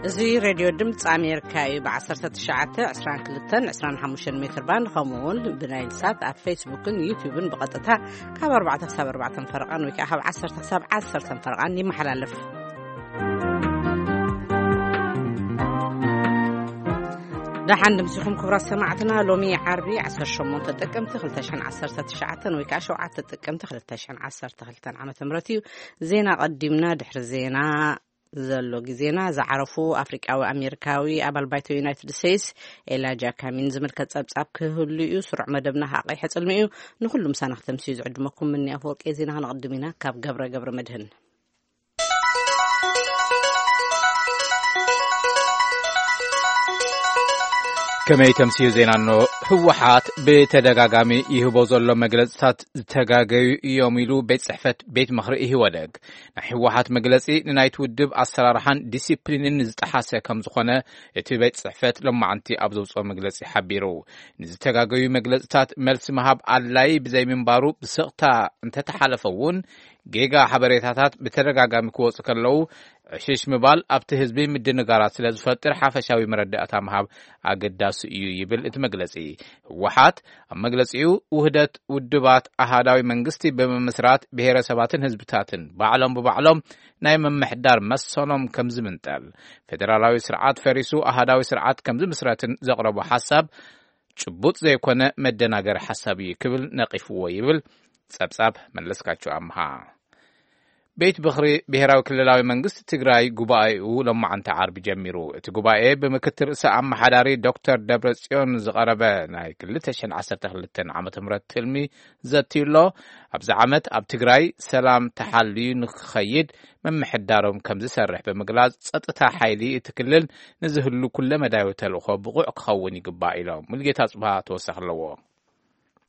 እዚ ሬድዮ ድምፂ ኣሜሪካ እዩ። ብ1922-25 ሜትር ባንድ፣ ከምኡ እውን ብናይል ሳት ኣብ ፌስቡክን ዩቲዩብን ብቐጥታ ካብ ኣርባዕተ ክሳብ ኣርባዕተ ፈረቓን ወይ ከዓ ካብ ዓሰርተ ክሳብ ዓሰርተ ፈረቓን ይመሓላለፍ። ደሓን ድምፂኹም ክቡራት ሰማዕትና። ሎሚ ዓርቢ 18 ጥቅምቲ 2019 ወይ ከዓ 7 ጥቅምቲ 2012 ዓመተ ምህረት እዩ። ዜና ቀዲምና፣ ድሕሪ ዜና ዘሎ ግዜና። ዝዓረፉ ኣፍሪቃዊ ኣሜሪካዊ ኣባል ባይቶ ዩናይትድ ስቴትስ ኤላጃ ካሚን ዝምልከት ጸብጻብ ክህሉ እዩ። ስሩዕ መደብና ከዓ ቀይሐ ጽልሚ እዩ። ንኹሉ ምሳና ክተምስዩ ዝዕድመኩም ምኒ ኣፈወርቂ። ዜና ከነቕድም ኢና ካብ ገብረ ገብረ መድህን። ከመይ ተምስዩ ዜና? እኖ፣ ህወሓት ብተደጋጋሚ ይህቦ ዘሎ መግለጽታት ዝተጋገዩ እዮም ኢሉ ቤት ጽሕፈት ቤት ምኽሪ ኢህወደግ። ናይ ህወሓት መግለጺ ንናይቲ ውድብ ኣሰራርሓን ዲሲፕሊንን ዝጠሓሰ ከም ዝኾነ እቲ ቤት ጽሕፈት ሎማዓንቲ ኣብ ዘውፅኦ መግለጺ ሓቢሩ። ንዝተጋገዩ መግለጽታት መልሲ ምሃብ ኣድላይ ብዘይምንባሩ ብስቕታ እንተተሓለፈ እውን ጌጋ ሓበሬታታት ብተደጋጋሚ ክወፁ ከለዉ ዕሽሽ ምባል ኣብቲ ህዝቢ ምድንጋራት ስለ ዝፈጥር ሓፈሻዊ መረዳእታ ምሃብ ኣገዳሲ እዩ ይብል እቲ መግለጺ። ህወሓት ኣብ መግለጺኡ ውህደት ውድባት ኣሃዳዊ መንግስቲ ብምምስራት ብሄረሰባትን ህዝብታትን ባዕሎም ብባዕሎም ናይ ምምሕዳር መሰሎም ከም ዝምንጠል፣ ፌደራላዊ ስርዓት ፈሪሱ ኣሃዳዊ ስርዓት ከም ዝምስረትን ዘቕረቦ ሓሳብ ጭቡጥ ዘይኮነ መደናገሪ ሓሳብ እዩ ክብል ነቒፍዎ ይብል ጸብጻብ መለስካቸው ኣምሃ። ቤት ምኽሪ ብሄራዊ ክልላዊ መንግስቲ ትግራይ ጉባኤኡ ሎማዓንቲ ዓርቢ ጀሚሩ። እቲ ጉባኤ ብምክትል ርእሰ ኣመሓዳሪ ዶክተር ደብረጽዮን ዝቐረበ ናይ 2012 ዓመተ ምህረት ትልሚ ዘትዩ ኣሎ። ኣብዚ ዓመት ኣብ ትግራይ ሰላም ተሓልዩ ንክኸይድ ምምሕዳሮም ከም ዝሰርሕ ብምግላጽ፣ ጸጥታ ሓይሊ እቲ ክልል ንዝህሉ ኩለመዳያዊ ተልእኾ ብቑዕ ክኸውን ይግባእ ኢሎም። ሙልጌታ ጽብሃ ተወሳኺ ኣለዎ።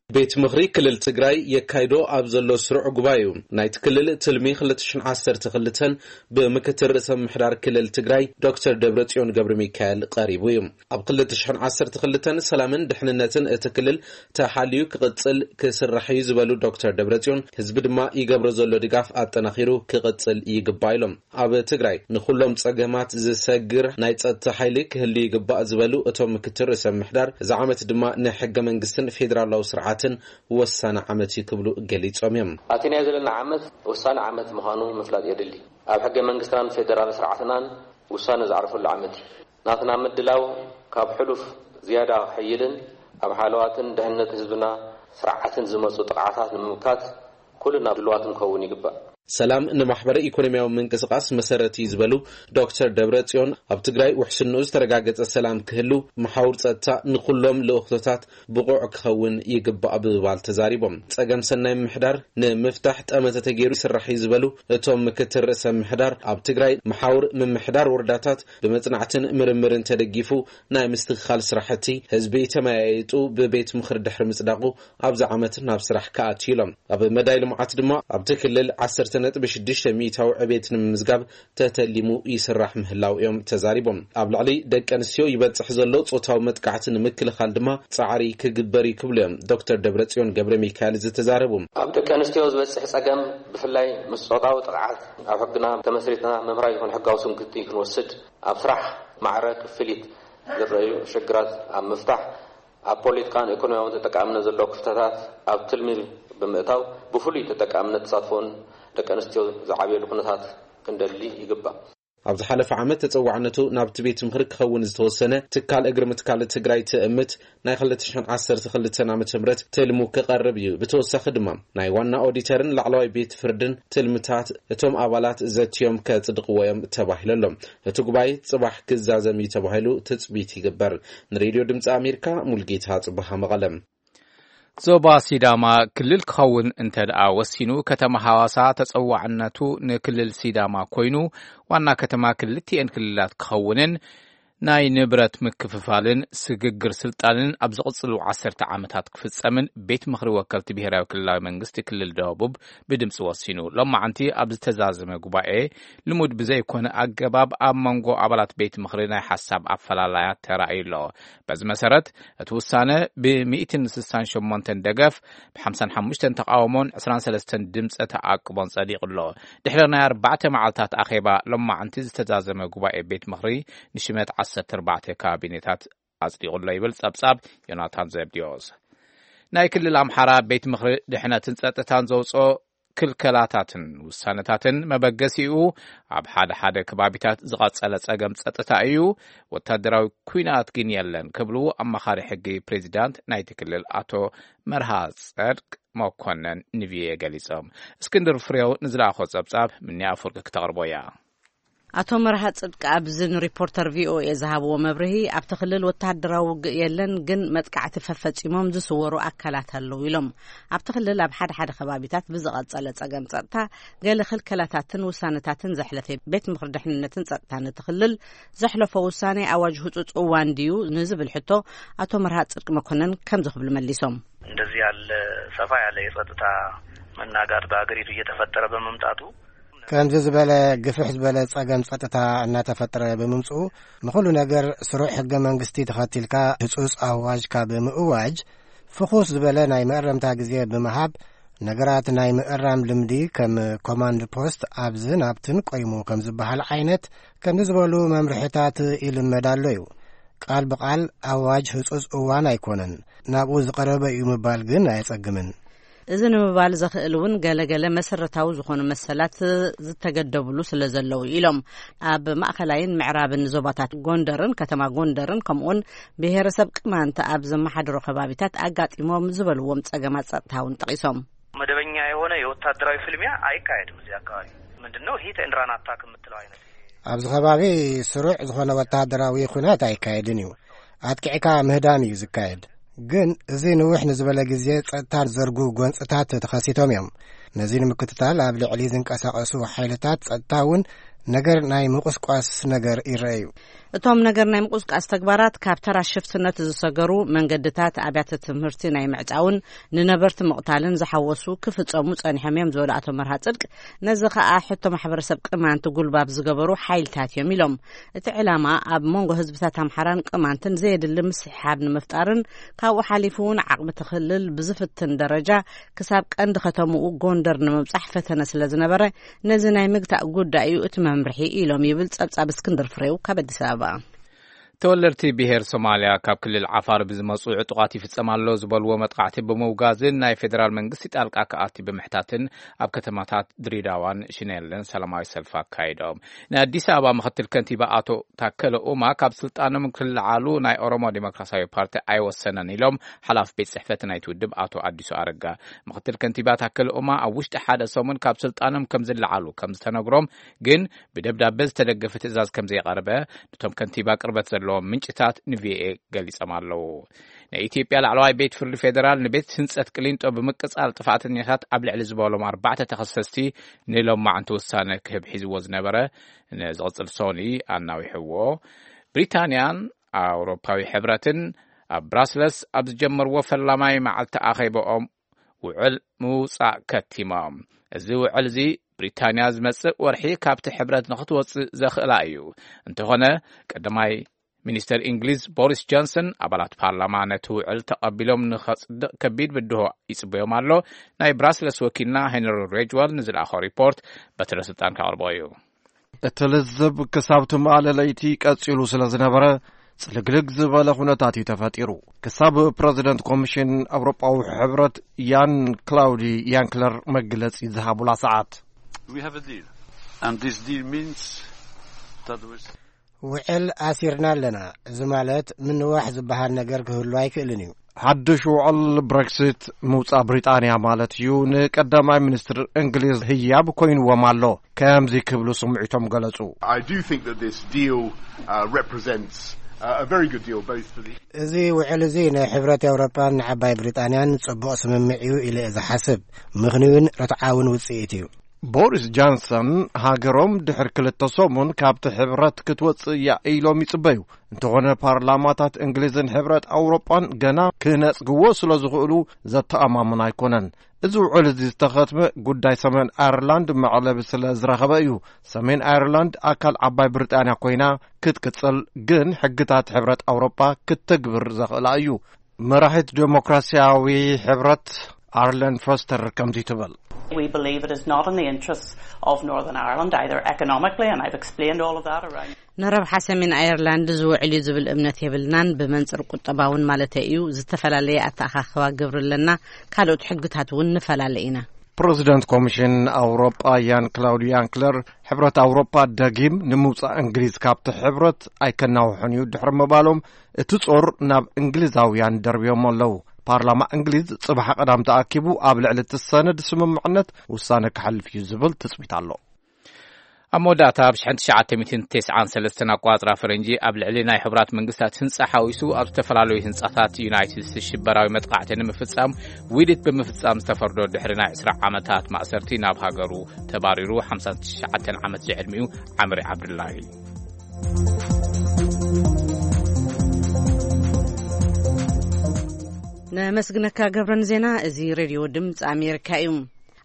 ቤት ምኽሪ ክልል ትግራይ የካይዶ ኣብ ዘሎ ስሩዕ ጉባኤኡ፣ ናይቲ ክልል ትልሚ 2012 ብምክትል ርእሰ ምምሕዳር ክልል ትግራይ ዶክተር ደብረጽዮን ገብረ ሚካኤል ቀሪቡ እዩ። ኣብ 2012 ሰላምን ድሕንነትን እቲ ክልል ተሓልዩ ክቕጽል ክስራሕ እዩ ዝበሉ ዶክተር ደብረጽዮን፣ ህዝቢ ድማ ይገብሮ ዘሎ ድጋፍ ኣጠናኺሩ ክቕጽል ይግባእ ኢሎም። ኣብ ትግራይ ንኹሎም ጸገማት ዝሰግር ናይ ጸጥታ ሓይሊ ክህሉ ይግባእ ዝበሉ እቶም ምክትል ርእሰ ምምሕዳር፣ እዚ ዓመት ድማ ንሕገ መንግስትን ፌዴራላዊ ስርዓትን ወሳኒ ዓመት እዩ ክብሉ ገሊጾም እዮም። ኣቲናዮ ዘለና ዓመት ወሳኒ ዓመት ምዃኑ ምፍላጥ የድሊ። ኣብ ሕገ መንግስትናን ፌዴራል ስርዓትናን ውሳነ ዝዓርፈሉ ዓመት እዩ። ናትና ምድላው ካብ ሕሉፍ ዝያዳ ክሕይልን ኣብ ሓለዋትን ድሕነት ህዝብና ስርዓትን ዝመፁ ጥቕዓታት ንምምካት ኩልና ድልዋት ንከውን ይግባእ። ሰላም ንማሕበረ ኢኮኖሚያዊ ምንቅስቃስ መሰረት እዩ ዝበሉ ዶክተር ደብረ ጽዮን፣ ኣብ ትግራይ ውሕስንኡ ዝተረጋገጸ ሰላም ክህሉ፣ መሓውር ጸጥታ ንኩሎም ልእኽቶታት ብቑዕ ክኸውን ይግባእ ብምባል ተዛሪቦም። ጸገም ሰናይ ምምሕዳር ንምፍታሕ ጠመተ ተገይሩ ይስራሕ እዩ ዝበሉ እቶም ምክትል ርእሰ ምምሕዳር፣ ኣብ ትግራይ መሓውር ምምሕዳር ወረዳታት ብመጽናዕትን ምርምርን ተደጊፉ ናይ ምስትኽኻል ስራሕቲ ህዝቢ ተመያይጡ ብቤት ምኽሪ ድሕሪ ምጽዳቑ ኣብዚ ዓመት ናብ ስራሕ ክኣቱ ኢሎም። ኣብ መዳይ ልምዓት ድማ ኣብቲ ክልል 10.6% ዕቤት ንምምዝጋብ ተተሊሙ ይስራሕ ምህላው እዮም ተዛሪቦም። ኣብ ልዕሊ ደቂ ኣንስትዮ ይበጽሕ ዘሎ ጾታዊ መጥቃዕቲ ንምክልኻል ድማ ጻዕሪ ክግበር እዩ ክብሉ እዮም ዶክተር ደብረጽዮን ገብረ ሚካኤል ዝተዛረቡ። ኣብ ደቂ ኣንስትዮ ዝበጽሕ ጸገም ብፍላይ ምስ ጾታዊ ጥቕዓት ኣብ ሕግና ተመስሪትና መምራይ ዝኾነ ሕጋዊ ስንክቲ ክንወስድ፣ ኣብ ስራሕ ማዕረ ክፍሊት ዝረኣዩ ሽግራት ኣብ ምፍታሕ፣ ኣብ ፖለቲካን ኢኮኖሚያውን ተጠቃምነት ዘሎ ክፍተታት ኣብ ትልሚ ብምእታው ብፍሉይ ተጠቃምነት ተሳትፎን ደቂ ኣንስትዮ ዝዓብየሉ ኩነታት ክንደሊ ይግባእ። ኣብ ዝሓለፈ ዓመት ተጸዋዕነቱ ናብቲ ቤት ምኽሪ ክኸውን ዝተወሰነ ትካል እግሪ ምትካል ትግራይ ትእምት ናይ 2012 ዓመተ ምህረት ትልሙ ክቐርብ እዩ። ብተወሳኺ ድማ ናይ ዋና ኦዲተርን ላዕለዋይ ቤት ፍርድን ትልምታት እቶም ኣባላት ዘትዮም ከጽድቕዎ እዮም ተባሂሉ ኣሎ። እቲ ጉባኤ ጽባሕ ክዛዘም እዩ ተባሂሉ ትጽቢት ይግበር። ንሬድዮ ድምፂ ኣሜሪካ ሙልጌታ ጽባሃ መቐለም። ዞባ ሲዳማ ክልል ክኸውን እንተ ደኣ ወሲኑ፣ ከተማ ሃዋሳ ተጸዋዕነቱ ንክልል ሲዳማ ኮይኑ፣ ዋና ከተማ ክልቲኤን ክልላት ክኸውንን ናይ ንብረት ምክፍፋልን ስግግር ስልጣንን ኣብ ዝቕጽሉ ዓሰርተ ዓመታት ክፍጸምን ቤት ምኽሪ ወከልቲ ብሄራዊ ክልላዊ መንግስቲ ክልል ደቡብ ብድምፂ ወሲኑ። ሎማዓንቲ ኣብ ዝተዛዘመ ጉባኤ ልሙድ ብዘይኮነ ኣገባብ ኣብ መንጎ ኣባላት ቤት ምኽሪ ናይ ሓሳብ ኣፈላላያት ተራእዩ ኣሎ። በዚ መሰረት እቲ ውሳነ ብ168 ደገፍ፣ ብ55 ተቃውሞን 23 ድምፀ ተኣቅቦን ጸዲቑ ኣሎ። ድሕሪ ናይ ኣርባዕተ መዓልታት ኣኼባ ሎማዓንቲ ዝተዛዘመ ጉባኤ ቤት ምኽሪ ንሽመት 14 ካቢኔታት ኣጽዲቑ ኣሎ ይብል ጸብጻብ ዮናታን ዘብዲዮስ። ናይ ክልል ኣምሓራ ቤት ምኽሪ ድሕነትን ጸጥታን ዘውፅኦ ክልከላታትን ውሳነታትን መበገሲኡ ኣብ ሓደ ሓደ ከባቢታት ዝቐጸለ ጸገም ጸጥታ እዩ፣ ወታደራዊ ኲናት ግን የለን ክብሉ ኣማኻሪ ሕጊ ፕሬዚዳንት ናይቲ ክልል ኣቶ መርሃ ጸድቅ መኮነን ንቪኦኤ ገሊጾም። እስክንድር ፍሬው ንዝለኣኾ ጸብጻብ ምንያ ኣፈወርቂ ክተቕርቦ እያ። ኣቶ መርሃ ጽድቂ ኣብዚ ንሪፖርተር ቪኦኤ ዝሃብዎ መብርሂ፣ ኣብቲ ክልል ወተሃደራዊ ውግእ የለን፣ ግን መጥቃዕቲ ፈፈጺሞም ዝስወሩ ኣካላት ኣለዉ ኢሎም። ኣብቲ ክልል ኣብ ሓደ ሓደ ከባቢታት ብዝቐጸለ ጸገም ጸጥታ ገለ ክልከላታትን ውሳነታትን ዘሕለፈ ቤት ምኽሪ ድሕንነትን ጸጥታን እቲ ክልል ዘሕለፎ ውሳኔ ኣዋጅ ህጹጽ እዋን ድዩ ንዝብል ሕቶ ኣቶ መርሃ ጽድቂ መኮነን ከምዚ ክብሉ መሊሶም። እንደዚህ ያለ ሰፋ ያለ የጸጥታ መናጋት በሀገሪቱ እየተፈጠረ በመምጣቱ ከምዚ ዝበለ ግፍሕ ዝበለ ጸገም ጸጥታ እናተፈጠረ ብምምጽኡ፣ ንኹሉ ነገር ስሩዕ ሕገ መንግስቲ ተኸቲልካ ህጹጽ ኣዋጅ ካብ ምእዋጅ፣ ፍኹስ ዝበለ ናይ መእረምታ ግዜ ብምሃብ፣ ነገራት ናይ ምእራም ልምዲ ከም ኮማንድ ፖስት ኣብዝን ኣብትን ቆይሙ ከም ዝበሃል ዓይነት፣ ከምዚ ዝበሉ መምርሕታት ይልመድ ኣሎ እዩ። ቃል ብቃል ኣዋጅ ህጹጽ እዋን ኣይኮነን፣ ናብኡ ዝቐረበ እዩ ምባል ግን ኣየጸግምን። እዚ ንምባል ዘኽእል እውን ገለገለ መሰረታዊ ዝኾኑ መሰላት ዝተገደብሉ ስለ ዘለዉ ኢሎም። ኣብ ማእኸላይን ምዕራብን ዞባታት ጎንደርን ከተማ ጎንደርን ከምኡውን ብሄረሰብ ቅማንት ኣብ ዘመሓድሮ ከባቢታት ኣጋጢሞም ዝበልዎም ጸገማት ጸጥታ እውን ጠቒሶም። መደበኛ የሆነ የወታደራዊ ፍልሚያ ኣይካሄድም እዚህ አካባቢ። ምንድነው ሂት ኤንድ ራን አታክ የምትለው አይነት? ኣብዚ ከባቢ ስሩዕ ዝኾነ ወተሃደራዊ ኹናት ኣይካየድን እዩ። ኣጥቂዕካ ምህዳን እዩ ዝካየድ። ግን እዚ ንውሕ ንዝበለ ግዜ ጸጥታ ዘርጉ ጎንጽታት ተኸሲቶም እዮም። ነዚ ንምክትታል ኣብ ልዕሊ ዝንቀሳቐሱ ሓይልታት ጸጥታ እውን ነገር ናይ ምቁስቋስ ነገር ይረኣዩ። እቶም ነገር ናይ ምቁስቃስ ተግባራት ካብ ተራ ሽፍትነት ዝሰገሩ መንገድታት፣ ኣብያተ ትምህርቲ ናይ ምዕጻውን ንነበርቲ ምቕታልን ዝሓወሱ ክፍጸሙ ጸኒሖም እዮም ዝበሉ ኣቶ መርሃ ጽድቅ፣ ነዚ ከኣ ሕቶ ማሕበረሰብ ቅማንት ጉልባብ ዝገበሩ ሓይልታት እዮም ኢሎም። እቲ ዕላማ ኣብ መንጎ ህዝብታት ኣምሓራን ቅማንትን ዘየድሊ ምስሕሓብ ንምፍጣርን ካብኡ ሓሊፉ እውን ዓቕሚ እቲ ክልል ብዝፍትን ደረጃ ክሳብ ቀንዲ ከተምኡ ጎንደር ንምብጻሕ ፈተነ ስለ ዝነበረ ነዚ ናይ ምግታእ ጉዳይ እዩ እቲ መምርሒ ኢሎም ይብል ጸብጻብ እስክንድር ፍሬው ካብ ኣዲስ ኣበባ። ተወለድቲ ብሄር ሶማልያ ካብ ክልል ዓፋር ብዝመጹ ዕጡቓት ይፍጸም ኣሎ ዝበልዎ መጥቃዕቲ ብምውጋዝን ናይ ፌደራል መንግስቲ ጣልቃ ክኣቲ ብምሕታትን ኣብ ከተማታት ድሬዳዋን ሽኔልን ሰላማዊ ሰልፊ ኣካይዶም። ናይ ኣዲስ ኣበባ ምክትል ከንቲባ ኣቶ ታከለ ኡማ ካብ ስልጣኖም ክልዓሉ ናይ ኦሮሞ ዴሞክራሲያዊ ፓርቲ ኣይወሰነን ኢሎም ሓላፊ ቤት ጽሕፈት ናይቲ ውድብ ኣቶ ኣዲሱ ኣረጋ። ምክትል ከንቲባ ታከለ ኡማ ኣብ ውሽጢ ሓደ ሰሙን ካብ ስልጣኖም ከም ዝለዓሉ ከም ዝተነግሮም ግን ብደብዳበ ዝተደገፈ ትእዛዝ ከም ዘይቐረበ፣ ነቶም ከንቲባ ቅርበት ዘለዎም ምንጭታት ንቪኦኤ ገሊጾም ኣለዉ። ናይ ኢትዮጵያ ላዕለዋይ ቤት ፍርዲ ፌደራል ንቤት ህንጸት ቅሊንጦ ብምቅጻል ጥፋተኛታት ኣብ ልዕሊ ዝበሎም ኣርባዕተ ተኸሰስቲ ንሎማዕንቲ ውሳነ ክህብ ሒዝዎ ዝነበረ ንዝቕጽል ሶኒ ኣናዊሕዎ። ብሪታንያን ኣውሮፓዊ ሕብረትን ኣብ ብራስለስ ኣብ ዝጀመርዎ ፈላማይ መዓልቲ ኣኼባኦም ውዕል ምውጻእ ከቲሞም። እዚ ውዕል እዚ ብሪታንያ ዝመጽእ ወርሒ ካብቲ ሕብረት ንኽትወጽእ ዘኽእላ እዩ። እንተኾነ ቀዳማይ ሚኒስተር እንግሊዝ ቦሪስ ጆንሰን ኣባላት ፓርላማ ነቲ ውዕል ተቐቢሎም ንኸጽድቕ ከቢድ ብድሆ ይጽበዮም ኣሎ። ናይ ብራስለስ ወኪልና ሄንሪ ሬጅዋል ንዝለኣኾ ሪፖርት በትረ ስልጣን ከቕርቦ እዩ። እቲ ልዝብ ክሳብ ትማሊ ለይቲ ቀጺሉ ስለ ዝነበረ፣ ጽልግልግ ዝበለ ኩነታት እዩ ተፈጢሩ። ክሳብ ፕረዚደንት ኮሚሽን ኣውሮጳዊ ሕብረት ያን ክላውዲ ያንክለር መግለጺ ዝሃቡላ ሰዓት። We have a deal. And this deal means that we ውዕል ኣሲርና ኣለና። እዚ ማለት ምንዋሕ ዝበሃል ነገር ክህሉ ኣይክእልን እዩ። ሓድሽ ውዕል ብሬክሲት ምውጻእ ብሪጣንያ ማለት እዩ። ንቀዳማይ ሚኒስትር እንግሊዝ ህያብ ኮይንዎም ኣሎ። ከምዚ ክብሉ ስምዒቶም ገለጹ። I do think that this deal, uh, represents, uh, a very good deal both for the እዚ ውዕል እዚ ንሕብረት ኤውሮጳን ንዓባይ ብሪጣንያን ጽቡቕ ስምምዕ እዩ ኢለ እየ ዝሓስብ። ምኽንዩን ርትዓውን ውጽኢት እዩ። ቦሪስ ጃንሰን ሃገሮም ድሕሪ ክልተ ሰሙን ካብቲ ሕብረት ክትወጽእ እያ ኢሎም ይጽበዩ። እንተኾነ ፓርላማታት እንግሊዝን ሕብረት ኣውሮጳን ገና ክነጽግዎ ስለ ዝኽእሉ ዘተኣማምን ኣይኮነን። እዚ ውዕል እዚ ዝተኸትመ ጉዳይ ሰሜን ኣየርላንድ መዕለቢ ስለ ዝረኸበ እዩ። ሰሜን ኣየርላንድ ኣካል ዓባይ ብሪጣንያ ኮይና ክትቅጽል ግን ሕግታት ሕብረት ኣውሮጳ ክትተግብር ዘኽእላ እዩ። መራሒት ዴሞክራሲያዊ ሕብረት ኣርለን ፈስተር ከምዚ ትብል። We believe it is not in the interests of Northern Ireland, either economically, and I've explained all of that around. ንረብሓ ሰሜን ኣየርላንድ ዝውዕል እዩ ዝብል እምነት የብልናን። ብመንጽር ቁጠባውን ማለተይ እዩ። ዝተፈላለየ ኣተኣኻኽባ ግብሪ ኣለና። ካልኦት ሕግታት እውን ንፈላለ ኢና። ፕረዚደንት ኮሚሽን ኣውሮጳ ያን ክላውድ ያንክለር፣ ሕብረት ኣውሮጳ ደጊም ንምውጻእ እንግሊዝ ካብቲ ሕብረት ኣይከናውሖን እዩ ድሕሪ ምባሎም፣ እቲ ጾር ናብ እንግሊዛውያን ደርብዮም ኣለዉ። ፓርላማ እንግሊዝ ጽባሕ ቀዳም ተኣኪቡ ኣብ ልዕሊ እቲ ሰነድ ስምምዕነት ውሳነ ክሓልፍ እዩ ዝብል ትጽቢት ኣሎ። ኣብ መወዳእታ፣ ኣብ ሽሕን ትሽዓተ ሚእትን ተስዓን ሰለስተን ኣቋጽራ ፈረንጂ፣ ኣብ ልዕሊ ናይ ሕቡራት መንግስታት ህንጻ ሓዊሱ ኣብ ዝተፈላለዩ ህንጻታት ዩናይትድ ስቴትስ ሽበራዊ መጥቃዕቲ ንምፍጻም ውዲት ብምፍጻም ዝተፈርዶ፣ ድሕሪ ናይ ዕስራ ዓመታት ማእሰርቲ ናብ ሃገሩ ተባሪሩ ሓምሳን ትሽዓተን ዓመት ዝዕድሚኡ ዓምሪ ዓብዱላሂ። ነመስግነካ ገብረን ዜና። እዚ ሬድዮ ድምፂ ኣሜሪካ እዩ።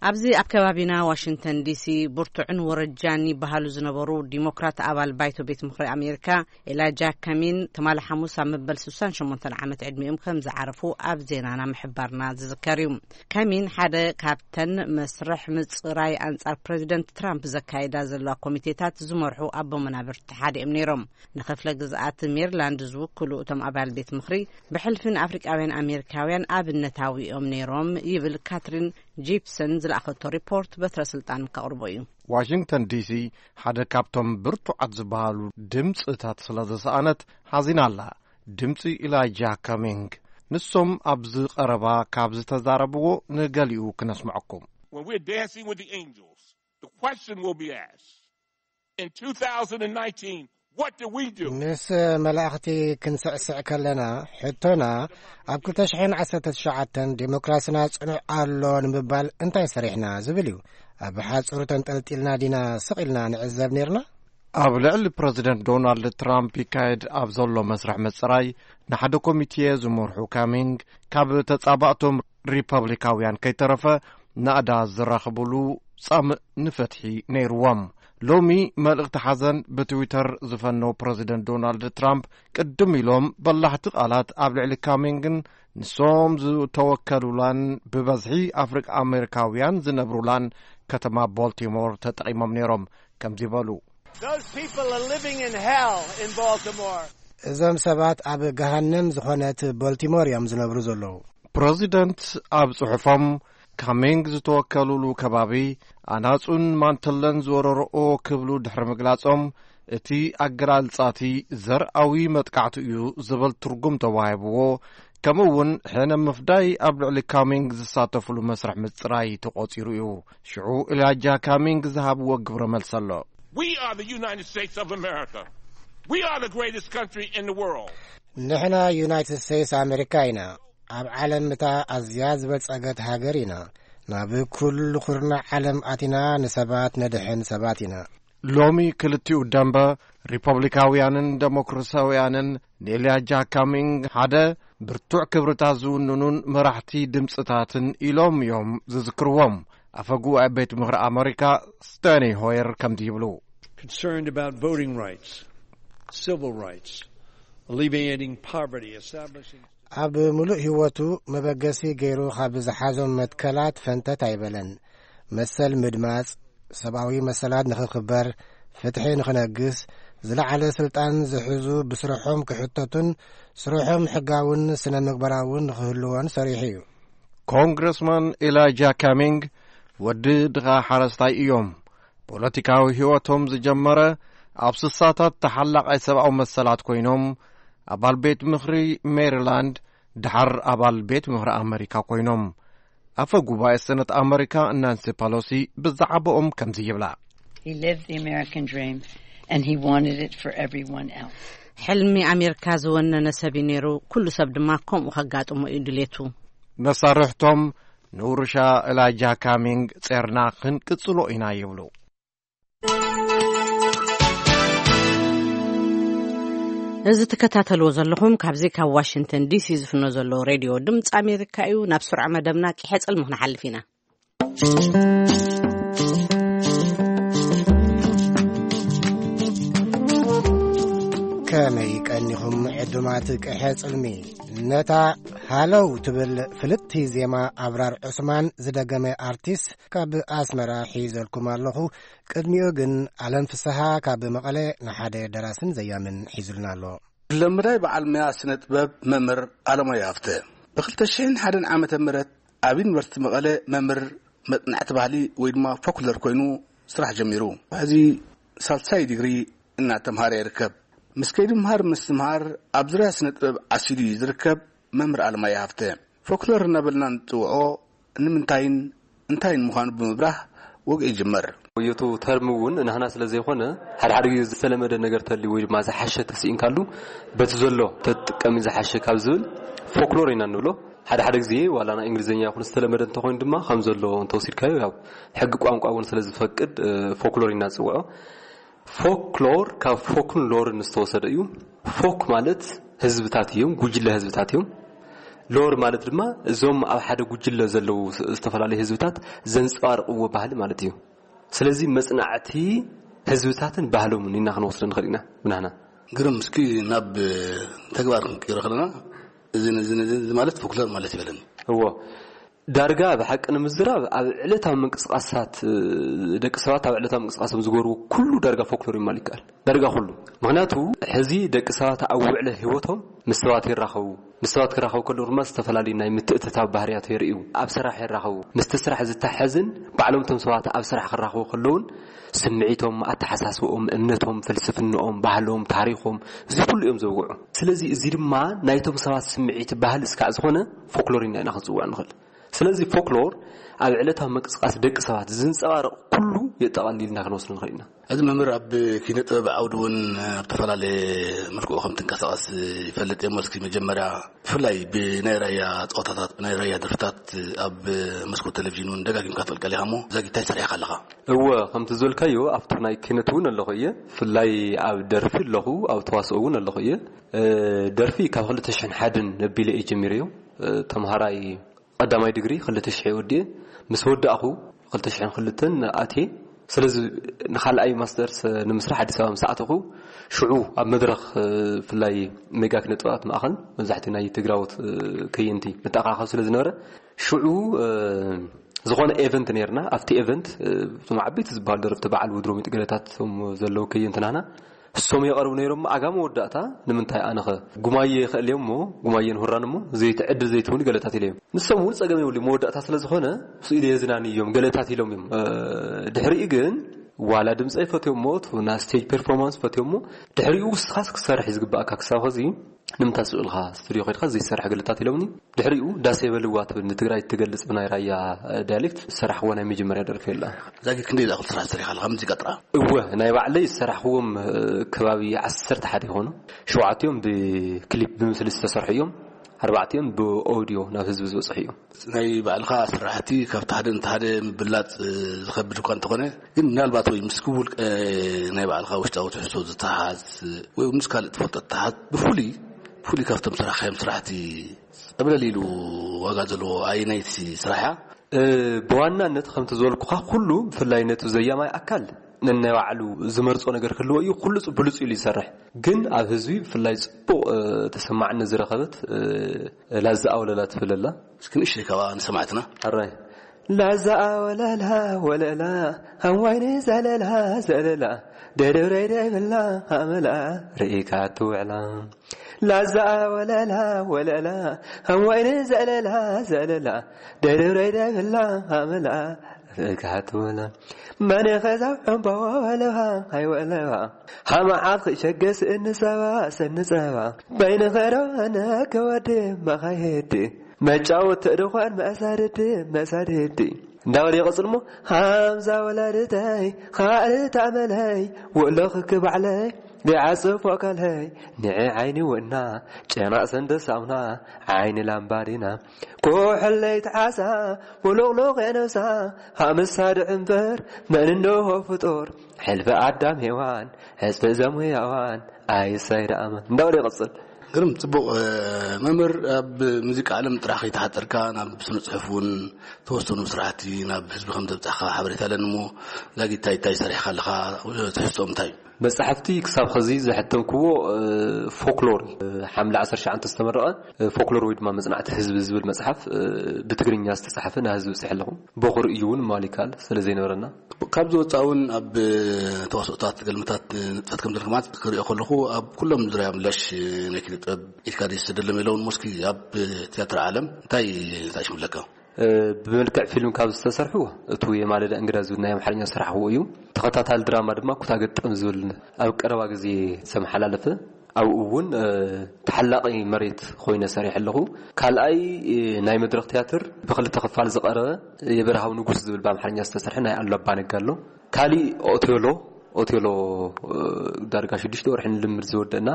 ኣብዚ ኣብ ከባቢና ዋሽንግተን ዲሲ ብርቱዕን ወረጃን ይበሃሉ ዝነበሩ ዲሞክራት ኣባል ባይቶ ቤት ምኽሪ ኣሜሪካ ኤላጃ ካሚን ትማሊ ሓሙስ ኣብ መበል ስሳን ሸሞንተን ዓመት ዕድሚኦም ከም ዝዓረፉ ኣብ ዜናና ምሕባርና ዝዝከር እዩ። ካሚን ሓደ ካብተን መስርሕ ምጽራይ ኣንጻር ፕረዚደንት ትራምፕ ዘካየዳ ዘለዋ ኮሚቴታት ዝመርሑ ኣቦ መናብርቲ ሓደ እዮም ነይሮም። ንክፍለ ግዝኣት ሜሪላንድ ዝውክሉ እቶም ኣባል ቤት ምኽሪ ብሕልፊ ንኣፍሪቃውያን ኣሜሪካውያን ኣብነታዊ እዮም ነይሮም ይብል ካትሪን ጂፕሰን ዝለኣኸቶ ሪፖርት በትረ ስልጣን ከቕርቦ እዩ። ዋሽንግተን ዲሲ ሓደ ካብቶም ብርቱዓት ዝበሃሉ ድምፅታት ስለ ዝሰኣነት ሓዚና ኣላ። ድምፂ ኢላይጃ ካሚንግ። ንሶም ኣብዚ ቀረባ ካብ ዝተዛረብዎ ንገሊኡ ክነስምዐኩም። When we're dancing with the angels, the question will be asked, in two thousand nineteen, what did we do? ምስ መላእኽቲ ክንስዕስዕ ከለና፣ ሕቶና ኣብ ክልተ ሽሕን ዓሰርተ ትሽዓተን ዴሞክራስና ጽኑዕ ኣሎ ንምባል እንታይ ሰሪሕና ዝብል እዩ። ኣብ ሓጹር ተንጠልጢልና ዲና ስቕ ኢልና ንዕዘብ ኔርና? ኣብ ልዕሊ ፕረዚደንት ዶናልድ ትራምፕ ይካየድ ኣብ ዘሎ መስርሕ ምጽራይ፣ ንሓደ ኮሚቴ ዝመርሑ ካሚንግ፣ ካብ ተጻባእቶም ሪፐብሊካውያን ከይተረፈ ናእዳ ዝራኽብሉ ጻምእ ንፍትሒ ነይርዎም። ሎሚ መልእኽቲ ሓዘን ብትዊተር ዝፈነው ፕረዚደንት ዶናልድ ትራምፕ፣ ቅድም ኢሎም በላሕቲ ቃላት ኣብ ልዕሊ ካሚንግን ንሶም ዝተወከሉላን ብበዝሒ ኣፍሪቃ ኣሜሪካውያን ዝነብሩላን ከተማ ቦልቲሞር ተጠቒሞም ነይሮም። ከምዚ በሉ። Those people are living in hell in Baltimore. እዞም ሰባት ኣብ ገሃነም ዝኾነት ቦልቲሞር እዮም ዝነብሩ ዘለዉ። ፕረዚደንት ኣብ ጽሑፎም፣ ካሚንግ ዝተወከሉሉ ከባቢ ኣናጹን ማንትለን ዝወረርኦ ክብሉ ድሕሪ ምግላጾም፣ እቲ ኣገላልጻ እቲ ዘርኣዊ መጥቃዕቲ እዩ ዝብል ትርጉም ተዋሂብዎ፣ ከምኡ እውን ሕነ ምፍዳይ ኣብ ልዕሊ ካሚንግ ዝሳተፍሉ መስርሕ ምጽራይ ተቖጺሩ እዩ። ሽዑ ኢላጃ ካሚንግ ዝሃብዎ ግብረ መልሲ ኣሎ። We are the United States of America. We are the greatest country in the world. ንሕና ዩናይትድ ስቴትስ ኣሜሪካ ኢና። ኣብ ዓለም እታ ኣዝያ ዝበልጸገት ሃገር ኢና። ናብ ኩሉ ኩርናዕ ዓለም ኣቲና ንሰባት ነድሕን ሰባት ኢና። ሎሚ ክልቲኡ ደንበ ሪፐብሊካውያንን ደሞክራሲያውያንን ንኤልያጃ ካሚንግ ሓደ ብርቱዕ ክብርታት ዝውንኑን መራሕቲ ድምፅታትን ኢሎም እዮም ዝዝክርዎም። ኣፈ ጉባኤ ቤት ምኽሪ ኣመሪካ ስቴኒ ሆየር ከምዚ ይብሉ። Concerned about voting rights, civil rights, alleviating poverty, establishing ኣብ ምሉእ ህይወቱ መበገሲ ገይሩ ካብ ዝሓዞም መትከላት ፈንተት ኣይበለን። መሰል ምድማጽ፣ ሰብኣዊ መሰላት ንኽኽበር፣ ፍትሒ ንኽነግስ፣ ዝለዓለ ስልጣን ዝሕዙ ብስርሖም ክሕተቱን ስርሖም ሕጋውን ስነ ምግባራውን ንኽህልዎን ሰሪሑ እዩ። ኮንግረስማን ኤላጃ ካሚንግ ወዲ ድኻ ሓረስታይ እዮም። ፖለቲካዊ ህይወቶም ዝጀመረ ኣብ ስሳታት ተሓላቓይ ሰብኣዊ መሰላት ኮይኖም፣ ኣባል ቤት ምኽሪ ሜሪላንድ፣ ድሓር ኣባል ቤት ምኽሪ ኣመሪካ ኮይኖም። ኣፈ ጉባኤ ሰነት ኣመሪካ ናንሲ ፐሎሲ ብዛዕባኦም ከምዚ ይብላ። He lived the American dream and he wanted it for everyone else. ሕልሚ ኣሜሪካ ዝወነነ ሰብ እዩ ነይሩ። ኩሉ ሰብ ድማ ከምኡ ከጋጥሞ እዩ ድሌቱ። መሳርሕቶም ንውርሻ እላጃ ካሚንግ ጼርና ክንቅጽሎ ኢና ይብሉ። እዚ ትከታተልዎ ዘለኹም ካብዚ ካብ ዋሽንግተን ዲሲ ዝፍኖ ዘሎ ሬድዮ ድምፂ ኣሜሪካ እዩ። ናብ ስሩዕ መደብና ቂሐ ጽልሚ ክንሓልፍ ኢና። ከመይ ቀኒኹም ዕዱማት ቅሐ ጽልሚ? ነታ ሃለው ትብል ፍልጥቲ ዜማ ኣብራር ዑስማን ዝደገመ ኣርቲስት ካብ ኣስመራ ሒዘልኩም ኣለኹ። ቅድሚኡ ግን ኣለም ፍስሃ ካብ መቐለ ንሓደ ደራስን ዘያምን ሒዙልና ኣሎ። ለምዳይ በዓል መያ ስነ ጥበብ መምህር ኣለማዮ ሃፍተ ብ ክልተ ሽሕን ሓደን ዓመተ ምህረት ኣብ ዩኒቨርሲቲ መቐለ መምህር መጽናዕቲ ባህሊ ወይ ድማ ፎክለር ኮይኑ ስራሕ ጀሚሩ። ሕዚ ሳልሳይ ዲግሪ እናተምሃረ ይርከብ። ምስ ከይዲ ምሃር ምስትምሃር ኣብ ዙርያ ስነ ጥበብ ዓሲሉ እዩ ዝርከብ። መምህር ኣለማዮ ሃፍተ ፎክለር እናበልና ንጽውዖ ንምንታይን እንታይን ምዃኑ ብምብራህ ወግዒ ይጅመር። ወዮቱ ተርሚ እውን ናህና ስለ ዘይኮነ፣ ሓደ ሓደ ግዜ ዝተለመደ ነገር ተልዩ ወይ ድማ ዝሓሸ ተስኢንካሉ፣ በቲ ዘሎ ተጥቀሚ ዝሓሸ ካብ ዝብል ፎክሎር ኢና ንብሎ። ሓደ ሓደ ግዜ ዋላ ናይ እንግሊዝኛ ይኹን ዝተለመደ እንተኾይኑ ድማ ከም ዘሎ እንተወሲድካዮ፣ ያው ሕጊ ቋንቋ እውን ስለ ዝፈቅድ፣ እ፣ ፎክሎር ኢና ንጽውዖ። ፎክሎር ካብ ፎክን ሎርን ዝተወሰደ እዩ። ፎክ ማለት ህዝብታት እዮም፣ ጉጅለ ህዝብታት እዮም። ሎር ማለት ድማ እዞም ኣብ ሓደ ጉጅለ ዘለዉ ስ-፣ ዝተፈላለዩ ህዝብታት ዘንጸባርቕዎ ባህሊ ማለት እዩ። ስለዚ መጽናዕቲ ህዝብታትን ባህሎምን ኢና ክንወስዶ ንኽእል ኢና ብናህና። ግርም፣ እስኪ ናብ ተግባር ክንቅይሮ ከለና፣ እዚ፣ እዚ፣ እዚ፣ እዚ ማለት ፎክሎር ማለት ይበለኒ። እዎ፣ ዳርጋ ብሓቂ ንምዝራብ ኣብ ዕለታዊ ምንቅስቃሳት፣ እ፣ ደቂ ሰባት ኣብ ዕለታዊ ምንቅስቃሶም ዝገብርዎ ኩሉ ዳርጋ ፎክሎር ይማል ይከኣል። ዳርጋ ኩሉ። ምኽንያቱ፣ ሕዚ ደቂ ሰባት ኣብ ውዕለ ህይወቶም ምስ ሰባት ይራኸቡ። ምስ ሰባት ክራኸቡ ከለዉ ድማ ዝተፈላለዩ ናይ ምትእትታው ባህርያት የርእዩ። ኣብ ስራሕ ይራኸቡ። ምስቲ ስራሕ ዝተሓዝን ባዕሎም እቶም ሰባት ኣብ ስራሕ ክራኸቡ ከለዉን ስምዒቶም፣ ኣተሓሳስብኦም፣ እምነቶም፣ ፍልስፍንኦም፣ ባህሎም፣ ታሪኾም፣ እዚ ኩሉ እዮም ዘውግዑ። ስለዚ እዚ ድማ ናይቶም ሰባት ስምዒት ባህሊ እስካዕ ዝኾነ ፎክሎር ኢና፣ ኢና ክንጽውዖ ንኽእል። ስለዚ ፎክሎር ኣብ ዕለታዊ ምንቅስቃስ ደቂ ሰባት ዝንጸባረቕ ኩሉ የጠቓልል ኢልና ክንወስዶ ንኽእል ኢና። እዚ መምህር ኣብ ኪነ ጥበብ ዓውዲ እውን ኣብ ዝተፈላለየ መልክዑ ከም ትንቀሳቐስ ይፈልጥ እየ። እስኪ መጀመርያ ብፍላይ ብናይ ራያ ጸወታታት፣ ብናይ ራያ ደርፍታት ኣብ መስኮት ቴሌቪዥን እውን ደጋጊምካ ትቕልቀል ኢኻ እሞ፣ እዛ ጊታይ ሰሪሕካ ኣለኻ። እወ፣ ከምቲ ዝበልካዮ ኣብቲ ናይ ኪነት እውን ኣለኹ እየ። ብፍላይ ኣብ ደርፊ ኣለኹ፣ ኣብ ተዋስኦ እውን ኣለኹ እየ። እ፣ ደርፊ ካብ ክልተ ሽሕን ሓደን ኣቢለ እየ ጀሚረዮ። እ፣ ተምሃራይ ቀዳማይ ዲግሪ ክልተ ሽሕ ወዲኤ፣ ምስ ወዳእኹ ክልተ ሽሕን ክልተን ኣትየ። ስለዚ ንኻልኣይ ማስተርስ ንምስራሕ ኣዲስ ኣበባ ምስ ኣተኹ፣ ሽዑ ኣብ መድረኽ፣ እ፣ ብፍላይ ሜጋ ኪነ ጥበባት ማእኸል መብዛሕትኡ ናይ ትግራዎት፣ እ፣ ከየንቲ ንተኣኻኸብ ስለ ዝነበረ፣ ሽዑ፣ እ፣ ዝኾነ ኤቨንት ነይርና። ኣብቲ ኤቨንት፣ እ፣ እቶም ዓበይቲ ዝበሃሉ ደረፍቲ በዓል ውድሮ ሚጥ ገለታት እቶም ዘለዉ ከየንቲ ናህና እሶም የቐርቡ ነይሮም። ኣጋ መወዳእታ ንምንታይ ኣነኸ ጉማየ ይኽእል እዮም እሞ፣ ጉማየን ሁራን እሞ ዘይትዕድል ዘይትውን ገለታት ኢለ እዮም። ንሶም እውን ጸገም የብሉ፣ መወዳእታ ስለ ዝኾነ ምስኡ ኢለ የዝናኒ እዮም ገለታት ኢሎም እዮም። እ፣ ድሕሪኡ ግን ዋላ ድምፀ ይፈትዮ እሞ፣ እቲ ና ስቴጅ ፐርፎርማንስ ፈትዮ እሞ፣ ድሕሪኡ ውስኻስ ክሰርሕ እዩ ዝግባእካ። ክሳብ ኸዚ ንምንታይ ስቕ ኢልካ ስቱዲዮ ከይድካ ዘይሰርሕ ገለታት ኢሎምኒ። ድሕሪኡ ዳሴ በልዋ ትብል ንትግራይ እትገልጽ ብናይ ራያ፣ እ፣ ዳያሌክት ዝሰራሕክዎ ናይ መጀመርያ ደርፊ የላ። ዛጊት ክንደይ ዝኣኽል ስራሕ ሰሪኻ ኣለኻ? ሙዚቃ ጥራ? እወ፣ ናይ ባዕለይ ዝሰራሕክዎም፣ እ፣ ከባቢ ዓሰርተ ሓደ ይኾኑ። ሸውዓቲኦም ብክሊፕ ብምስሊ ዝተሰርሑ እዮም። ኣርባዕቲኦም ብኦዲዮ ናብ ህዝቢ ዝበጽሑ እዮም። ናይ ባዕልኻ ስራሕቲ ካብቲ ሓደ ነቲ ሓደ ምብላጽ፣ እ፣ ዝኸብድ እኳ እንተኾነ፣ ግን ምናልባት ወይ ምስ ክቡር፣ እ፣ ናይ ባዕልኻ ውሽጣዊ ትሕዝቶ ዝተሓዝ ወይ ምስ ካልእ ትፈልጦ ዝተሓዝ ብፍሉይ፣ ብፍሉይ ካብቶም ስራሕካዮም ስራሕቲ ጸብለል ኢሉ ዋጋ ዘለዎ ኣየናይቲ ስራሕ እያ? እ፣ ብዋናነት ከምቲ ዝበልኩኻ ኩሉ ብፍላይ ነቲ ዘያማይ ኣካል ነናይ ባዕሉ ዝመርጾ ነገር ክህልዎ እዩ። ኩሉ ጽ-፣ ብሉጽ ኢሉ ይሰርሕ። ግን ኣብ ህዝቢ ብፍላይ ጽቡቕ፣ እ፣ ተሰማዕነት ዝረኸበት፣ እ፣ ላዛ ኣወለላ ትብል ኣላ። እስኪ ንእሽተይ ካብኣ ንሰማዕትና። ሕራይ። ላዛ ኣወለላ ወለላ፣ ኣዋይኒ ዘለላ ዘለላ፣ ደደብረይ ደብላ ኣመላ፣ ርኢካ ትውዕላ። ላዛ ወለላ ወለላ፣ ኣዋይኒ ዘለላ ዘለላ፣ ደደብረይ ደብላ ኣመላ፣ ርኢካ ትውዕላ። መን ኸዛ ዕምባዋ ወለባ ኣይወለባ፣ ሃማዓት ኽሸገ ስእኒ ሰባ ሰኒ ጸባ፣ በይኒ ኸዶ ኣነ ከወዲ መኻየዲ፣ መጫወቲ ድዃን መሳድዲ መሳድዲ፣ እንዳበለ ይቐጽል እሞ፣ ሃምዛ ወላዲተይ፣ ኻልእ ተኣመለይ፣ ውእሎ ክክባዕለይ፣ ቢዓጽፎ ካልሀይ፣ ንዒ ዓይኒ ውእና፣ ጨናቕ ሰንደ ሳሙና፣ ዓይኒ ላምባዲና፣ ኩሕለይ ተዓሳ፣ ውሉቕሉቕ የነብሳ፣ ሃምሳ ድዕምበር፣ መን እንሆ ፍጡር፣ ሕልፊ ኣዳም ሄዋን፣ ሕጽፊ እዞም ህያዋን፣ ኣይሳይ ደኣመን። እንዳበለ ይቐጽል። ግርም፣ ጽቡቕ። መምህር፣ ኣብ ሙዚቃ ዓለም ጥራሕ ከይተሓጸርካ ናብ ስነ ጽሑፍ እውን ተወሰኑ ስራሕቲ ናብ ህዝቢ ከም ዘብጻሕካ ሓበሬታ ኣለኒ እሞ፣ ዛጊት እንታይ እንታይ ሰሪሕካ ኣለኻ? ትሕዝቶኦም እንታይ እዩ? መጻሕፍቲ ክሳብ ኸዚ ዘሐተምክዎ፣ እ፣ ፎክሎር፣ እ፣ ሓምለ ዓሰርተ ትሽዓተ ዝተመረቐ፣ እ፣ ፎክሎር ወይ ድማ መጽናዕቲ ህዝቢ ዝብል መጽሓፍ፣ እ፣ ብትግርኛ ዝተጻሕፈ ንህዝቢ ብጽሐ ኣለኹ። በኹር እዩ እውን ምባል ይከኣል፣ ስለ ዘይነበረና። ካብ ዝወጻእ እውን ኣብ ተዋስኦታት፣ ገልምታት ንጥፈት ከም ዘለካ ማለት ክሪኦ ከለኹ፣ ኣብ ኩሎም ዙርያ ምላሽ ናይ ኪነ ጥበብ ኢድካ ደስ ደለም የለውን። ሞስኪ ኣብ ትያትር ዓለም እንታይ እንታይ ሽምለካ? እ፣ ብመልክዕ ፊልም ካብ ዝተሰርሑ፣ እቱ የማለዳ እንግዳ ዝብል ናይ ኣምሓርኛ ዝሰራሕክዎ እዩ። ተኸታታሊ ድራማ ድማ ኩታ ገጠም ዝብል ኣብ ቀረባ ግዜ ዝተመሓላለፈ፣ ኣብኡ እውን፣ እ፣ ተሓላቒ መሬት ኮይነ ሰሪሐ ኣለኹ። ካልኣይ፣ እ፣ ናይ መድረኽ ትያትር ብኽልተ ክፋል ዝቐረበ የበርሃው ንጉስ ዝብል ብኣምሓርኛ ዝተሰርሐ ናይ ኣሉላ ኣባነጋ ኣሎ። ካሊእ ኦቴሎ፣ ኦቴሎ፣ እ፣ ዳርጋ ሽዱሽተ ወርሒ ንልምድ ዝወደእና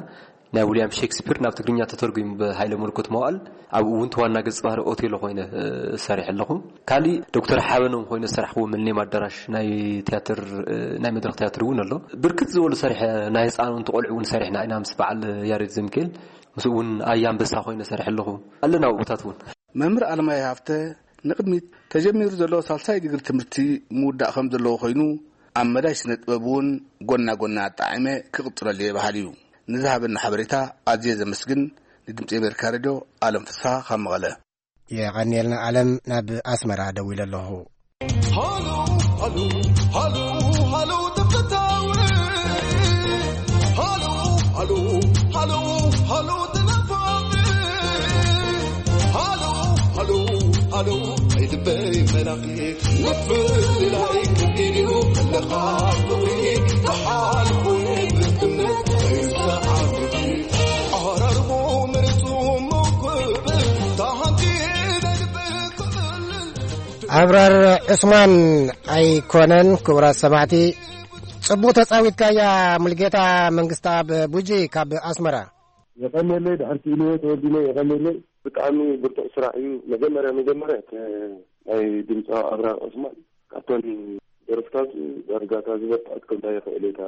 ናይ ዊልያም ሼክስፒር ናብ ትግርኛ ተተርጒሙ ብሃይለ መለኮት መዋእል፣ ኣብኡ እውን ተዋና ገጽ ባህሪ ኦቴሎ ኮይነ፣ እ፣ ሰሪሐ ኣለኹ። ካሊእ ዶክተር ሓበኖም ኮይነ ዝሰራሕክዎ ምልኔም ኣዳራሽ ናይ ትያትር፣ እ፣ ናይ መድረኽ ትያትር እውን ኣሎ። ብርክት ዝበሉ ሰሪሐ፣ ናይ ህፃን እውን፣ ቆልዑ እውን ሰሪሕና ኢና ምስ በዓል ያሬድ ዘሚካኤል፣ ምስኡ እውን ኣያ ኣንበሳ ኮይነ ሰሪሐ ኣለኹ። ኣለና ኣብኡታት እውን። መምህር ኣለማየ ሃፍተ ንቕድሚት ተጀሚሩ ዘሎ ሳልሳይ ዲግሪ ትምህርቲ ምውዳእ ከም ዘለዎ ኮይኑ፣ ኣብ መዳይ ስነ ጥበብ እውን ጎና ጎና ኣጣዒመ ክቕጽለሉ እየ በሃሊ እዩ። ንዝሃበና ሓበሬታ ኣዝየ ዘመስግን። ንድምጺ ኣሜሪካ ሬድዮ ኣለም ፍስሓ ካብ መቐለ። የቐንየልና ኣለም፣ ናብ ኣስመራ ደዊለ ኣለኹ። ሃሎ፣ ሃሎ፣ ሃሎ፣ ሃሎ፣ ተፈታዊ። ሃሎ፣ ሃሎ፣ ሃሎ፣ ሃሎ፣ ተናፋቂ። ሃሎ፣ ሃሎ፣ ሃሎ፣ ኣይድበይ መላኺ። ምፍልላይ ክቢድ እዩ፣ ኣለኻ ፍቕሪ ክሓልፎ ብእምነት ኣይሰዓብቲ። ኣራርቦ መሬቱ መውክብ፣ ታሃንቲ ናይ ልበይ ክቕልል። ኣብራር ዑስማን ኣይኮነን። ክቡራት ሰማዕቲ፣ ጽቡቕ ተጻዊትካያ። ሙልጌታ መንግስተኣብ ቡጂ ካብ ኣስመራ። የቐንየለይ፣ ድሕር ክኢልዎ ተወዲነ የቐንየለይ። ብጣዕሚ ብርቱዕ ስራሕ እዩ። መጀመርያ፣ መጀመርያ፣ እቲ ናይ ድምፃዊ ኣብራር ዑስማን ካብተን ደርፍታቱ ዳርጋ እታ ዝበርትዐት ከምታ ይኽእል እየ፣ እታ